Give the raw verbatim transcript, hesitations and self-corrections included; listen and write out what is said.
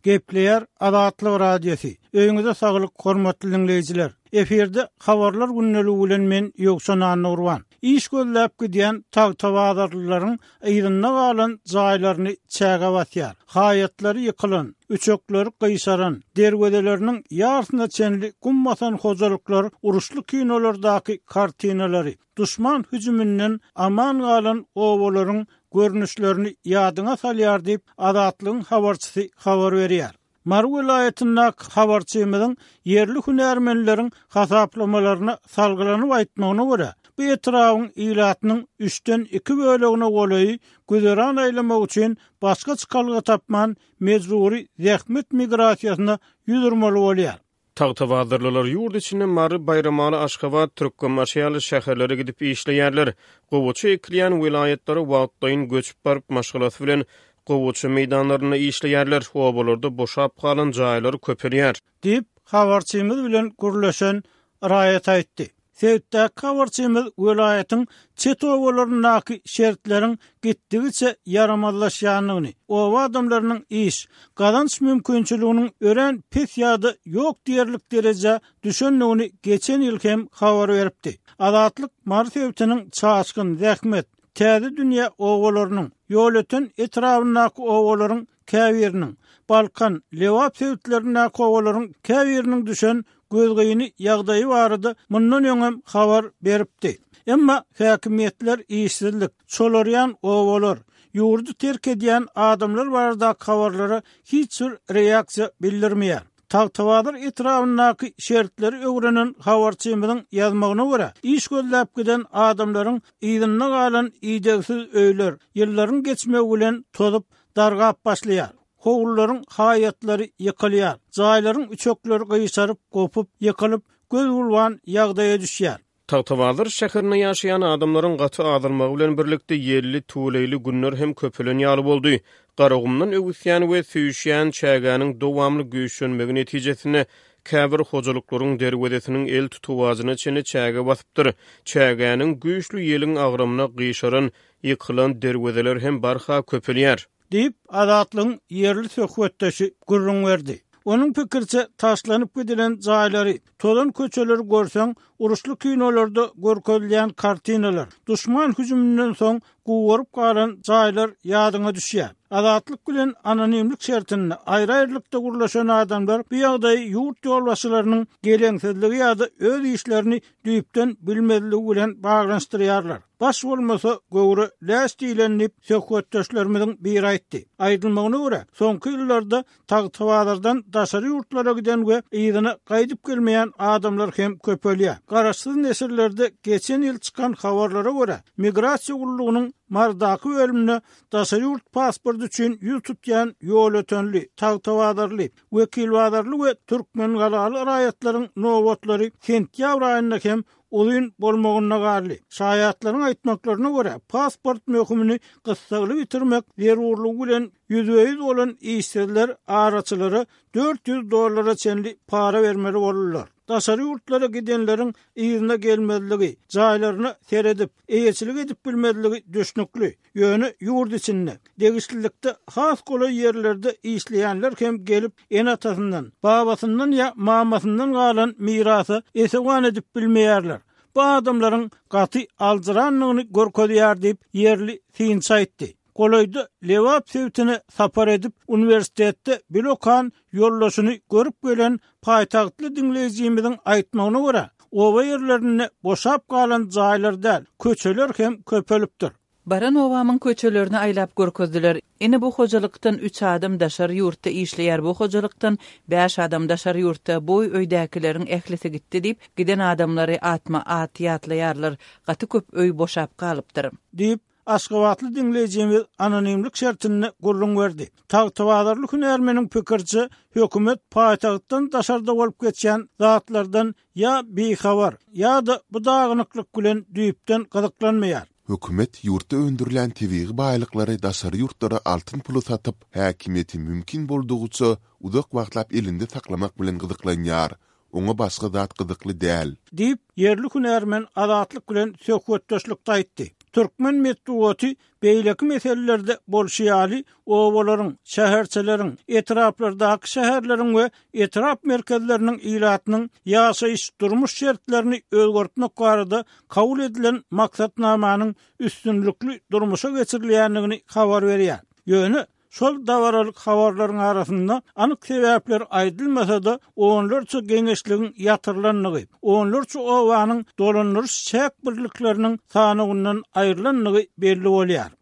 Gepleýär Azatlyk Radiosy. Öýüňize saglyk, hormatly diňleýjiler. Efirde habarlar gündeligi bilen men Ýowşan Annagurban. Iş gözläp gidýän tagtabazarlylaryň yzynda galan jaýlaryny çäge basýar. Haýatlary ýykylan, üçekleri gyşaran, derwezeleriniň ýarsyna çenli gum basan hojalyklar uruşly kinolardaky kartinalary, duşman hüjüminden aman galan obalaryň görnüşlerini ýadyňa salýar diýip, Azatlygyň habarçysy habar berýär. Mary welaýatyndaky habarçymyzyň ýerli hünärmenleriň hasaplamalaryna salgylanyp aýtmagyna görä, bu etrabyň ilatynyň üçden iki bölegine golaýy güzeran aýlamak üçin başga çykalga tapman mejbury zähmet migrasiýasyna ýüz urmaly bolýar. Tagtabazarlylar ýurt içinde Mary, Baýramaly, Aşgabat, Türkmenbaşy ýaly şäherlere gidip işleýärler. Gowaça ekilýän welaýatlara wagtlaýyn göçüp baryp, maşgalasy bilen gowaça meýdanlarynda işleýärler. Obalarda boşap galan jaýlar köpelýär. Diýip, habarçymyz bilen gürleşen raýat aýtdy. Sebitdäki habarçymyz welaýatyň çet obalaryndaky şertleriň gitdigiçe ýaramazlaşýandygyny, oba adamlarynyň iş, gazanç mümkinçiliginiň örän pes ýa-da ýok diýerlik derejä düşendigini geçen ýyl hem habar beripdi. Azatlyk Mary sebitiniň Çaşgyn, Zähmet, Täze dünýä obalarynyň, Ýolöten etrabyndaky obalaryň käbiriniň, Balkan, Lebap sebitlerindäki obalaryň käbiriniň düşen gözgyny ýagdaýy barada mundan öňem habar beripdi. Emma häkimiýetler işsizlik, çolarýan obalar, ýurdy terk edýän adamlar baradaky habarlara hiç bir reaksiýa bildirmeýär. Tagtabazar etrabyndaky şertleri öwrenen habarçymyzyň ýazmagyna görä, iş gözläp giden adamlaryň yzynda galan idegsiz öýler ýyllaryň geçmegi bilen tozup, dargap başlaýar. Howlularyň haýatlary ýykylýar. Jaýlaryň üçekleri gyşaryp, gopup, ýykylyp, göz gulban ýagdaýa düşýär. Tagtabazar şäherinde ýaşaýan adamlaryň gaty azalmagy bilen birlikde ýelli, tüweleýli günler hem köpelen ýaly boldy. Garagumdan öwüsýän we süýşýän çägäniň dowamly güýçlenmegi netijesinde käbir hojalyklaryň derwezesiniň el tutawajyna çenli çäge basypdyr. Çägäniň güýçli ýeliň agramyna gyşaran, ýykylan derwezeler hem barha köpelýär. Diýip, Azatlygyň ýerli söhbetdeşi gürrüň berdi. Onuň pikiriçe, taşlanyp gidilen jaýlary, tozan köçeleri görseň, uruşly kinolarda görkezilýän kartinalar, duşman hüjüminden soň gugaryp galan jaýlar ýadyňa düşýär. Azatlyk bilen anonimlik şertinde aýry-aýrylykda gürleşen adamlar bu ýagdaýy ýurt ýolbaşçylarynyň geleňsizligi ýa-da öz işlerini düýpden bilmezligi bilen baglanyşdyrýarlar. Baş bolmasa, göwre läş diýlen diýip, söhbetdeşlerimiziň biri aýtdy. Aýdylmagyna görä, soňky ýyllarda Tagtabazardan daşary ýurtlara giden we yzyna gaýdyp gelmeýän adamlar hem köpelýär. Garaşsyz neşirlerde geçen ýyl çykan habarlara görä, Migrasiýa gullugynyň Marydaky bölüminde daşary ýurt pasporty üçin ýüz tutýan ýolötenli, tagtabazarly, wekilbazarly we türkmengalaly raýatlaryň nobatlary sentýabr aýynda hem uzyn bolmagynda galdy. Şaýatlaryň aýtmaklaryna görä, pasport möhümini gyssagly bitirmek zerurlygy bilen ýüzbe-ýüz bolan işsizler araçylara dört ýüz dollara çenli para bermeli boldular. Daşary ýurtlara gidenleriň yzyna gelmezligi, jaýlaryna seredip, eýeçilik edip bilmezligi düşnükli. Ýöne ýurt içinde, degişlilikde has golaý ýerlerde işleýänler hem gelip, ene-atasyndan, babasyndan ýa mamasyndan galan mirasa esewan edip bilmeýärler. Bu adamlaryň gaty aljyrandygyny görkezýär diýip, ýerli synçy aýtdy. Golaýda Lebap sebitine sapar edip, uniwersitetde bile okan ýoldaşyny görüp gelen paýtagtly diňleýjimiziň aýtmagyna görä, oba ýerlerinde boşap galan jaýlar däl, köçeler hem köpelipdir. Baran obamyň köçelerini aýlap görkezdiler. Ine bu hojalykdan üç adam daşary ýurtda işleýär, bu hojalykdan bäş adam daşary ýurtda, bu öýdäkileriň ählisi gitdi diýip, giden adamlary atma-at ýatlaýarlar. Gaty köp öý boşap galypdyr. Diýip, aşgabatly diňleýjimiz anonimlik şertinde gürrüň berdi. Tagtabazarly hünärmeniň pikiriçe, hökümet paýtagtdan daşarda bolup geçýän zatlardan ýa bihabar, ýa-da bu dagynyklyk bilen düýpden gyzyklanmaýar. Hökümet ýurtda öndürilýän tebigy baýlyklary daşary ýurtlara altyn pula satyp, häkimiýeti mümkin boldugyça uzak wagtlap elinde saklamak bilen gyzyklanýar. Oňa başga zat gyzykly däl. Diýip, ýerli hünärmen Azatlyk bilen söhbetdeşlikde aýtdy. Türkmen metbugaty beýleki meselelerde bolşy ýaly obalaryň, şäherçeleriň, etraplardaky şäherleriň we etrap merkezleriniň ilatynyň ýaşaýyş durmuş şertlerini özgertmek barada kabul edilen maksatnamanyň üstünlikli durmuşa geçirilýändigini habar berýär. Ýöne şol dabaralyk habarlaryň arasynda anyk sebäpler aýdylmasa-da, onlarça geňeşligiň ýatyrylandygy, onlarça obanyň dolandyryş çäk birlikleriniň sanawyndan aýrylandygy belli bolýar.